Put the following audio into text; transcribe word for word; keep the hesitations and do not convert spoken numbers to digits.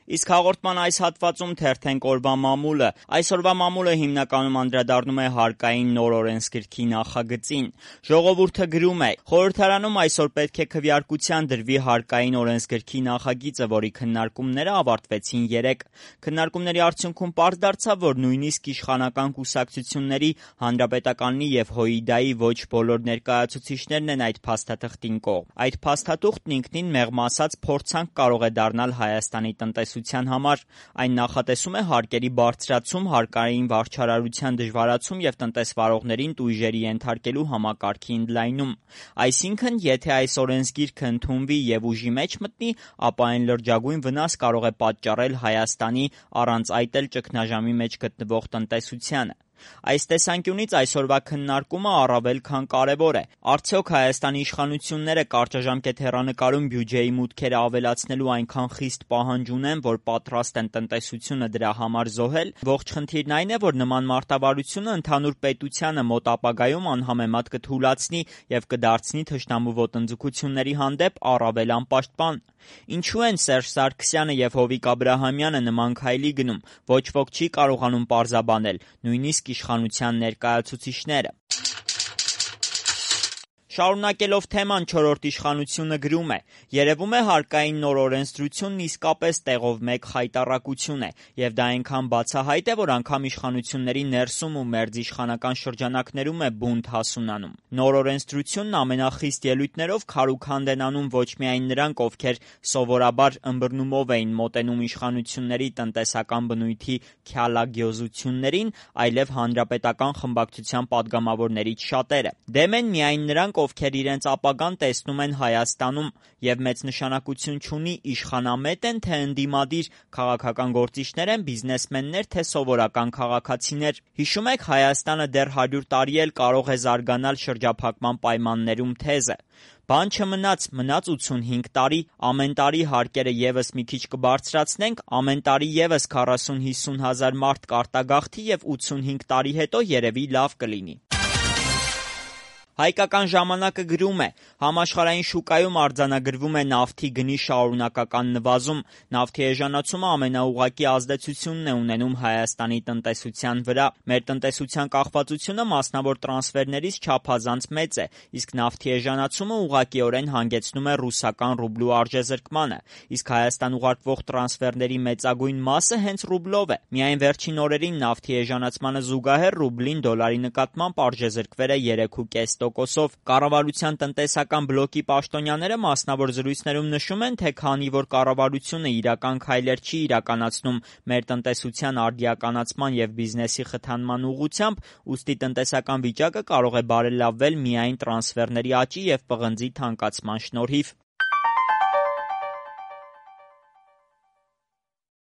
Իսկ հաղորդման այս հատվածում թերթենք օրվա մամուլը։ Այսօրվա մամուլը հիմնականում անդրադառնում է հարկային նոր օրենսգրքի նախագծին։ Ժողովուրդը գրում է. խորհրդարանում այսօր պետք է քվեարկության դրվի հարկային օրենսգրքի նախագիծը, որի քննարկումները ավարտվեցին երեկ։ Քննարկումների արդյունքում պարզ դարձավ, որ նույնիսկ իշխանական կուսակցությունների, Հանրապետականի և ՀՅԴ-ի ոչ բոլոր ներկայացուցիչներն են այդ փաստաթղթին կողմ։ Այդ փաստաթուղթն ինքնին մեղմ ասած փորձանք կարող է դառնալ Հայաստանի տնտեսության համար։ Այն նախատեսում է հարկերի բարձրացում, հարկային վարչարարության դժվարացում և տնտեսվարողներին տույժերի ենթարկելու համակարգի ընդլայնում։ Այսինքն, եթե այս օրենսգիրքը ընդունվի և ուժի մեջ մտնի, ապա այն լրջագույն վնաս կարող է պատճառել Հայաստանի, առանց այդ էլ ճգնաժամի մեջ գտնվող տնտեսությանը։ Այս տեսանկյունից այսօրվա քննարկումը առավել քան կարևոր է։ Արդյոք Հայաստանի իշխանությունները կարճաժամկետ հեռանկարում բյուջեի մուտքերը ավելացնելու այնքան խիստ պահանջ ունեն, որ պատրաստ են տնտեսությունը դրա համար զոհել։ Ողջ խնդիրն այն է, որ նման մարտավարությունը ընդհանուր պետությանը մոտ ապագայում անհամեմատ կթուլացնի և կդարձնի թշնամու ոտնձգությունների հանդեպ առավել անպաշտպան։ Ինչու են Սերժ Սարգսյանը և Հովիկ Աբրահամյանը նման քայլի գնում, ոչ ոք չի կարողանում պարզաբանել, նույնիսկ իշխանության ներկայացուցիչները։ Շարունակելով թեման, չորրորդ իշխանությունը գրում է. երևում է հարկային նոր օրենսդրությունն իսկապես տեղով մեկ խայտառակություն է, և դա այնքան բացահայտ է, որ անգամ իշխանությունների ներսում ու մերձիշխանական շրջանակներում է բունտ հասունանում։ Նոր օրենսդրությունն ամենախիստ ելույթներով քարուքանդ են անում ոչ միայն նրանք, ովքեր սովորաբար ըմբռնումով էին մոտենում իշխանությունների տնտեսական բնույթի քյալագյոզություններին, այլև հանրապետական խմբակցության պատգամավորներից շատերը։ Դեմ են միայն նրանք, ովքեր իրենց ապագան տեսնում են Հայաստանում և մեծ նշանակություն չունի իշխանամետ են, թե ընդդիմադիր, քաղաքական գործիչներ են, բիզնեսմեններ, թե սովորական քաղաքացիներ։ Հիշում եք Հայաստանը դեռ հարյուր տարի էլ կարող է զարգանալ շրջափակման պայմաններում թեզը։ Բան չմնաց, մնաց ութսունհինգ տարի, ամեն տարի հարկերը ևս մի քիչ կբարձրացնենք, ամեն տարի ևս քառասուն-հիսուն հազար մարդ կարտագաղթի և ութսունհինգ տարի հետո երևի լավ կլինի։ Հայկական ժամանակը գրում է. համաշխարհային շուկայում արձանագրվում է նավթի գնի շարունակական նվազում։ Նավթի էժանացումը ամենաուղղակի ազդեցությունն է ունենում Հայաստանի տնտեսության վրա։ Մեր տնտեսության կախվածությունը մասնավոր տրանսֆերներից չափազանց մեծ է, իսկ նավթի էժանացումը ուղղակիորեն հանգեցնում է ռուսական ռուբլու արժեզրկմանը, իսկ Հայաստան ուղարկվող տրանսֆերների մեծագույն մասը հենց ռուբլով է։ Միայն վերջին օրերին նավթի էժանացմանը զուգահեռ ռուբլին դոլարի նկատմամբ արժեզրկվել է երեք կόμμα պենս տոկոսով։ Կառավարության տնտեսական բլոկի պաշտոնյաները մասնավոր զրույցներում նշում են, թե քանի որ կառավարությունը իրական քայլեր չի իրականացնում մեր տնտեսության արդիականացման և բիզնեսի խթանման ուղղությամբ, ուստի տնտեսական վիճակը կարող է բարելավվել միայն տրանսֆերների աճի և պղնձի թանկացման շնորհիվ։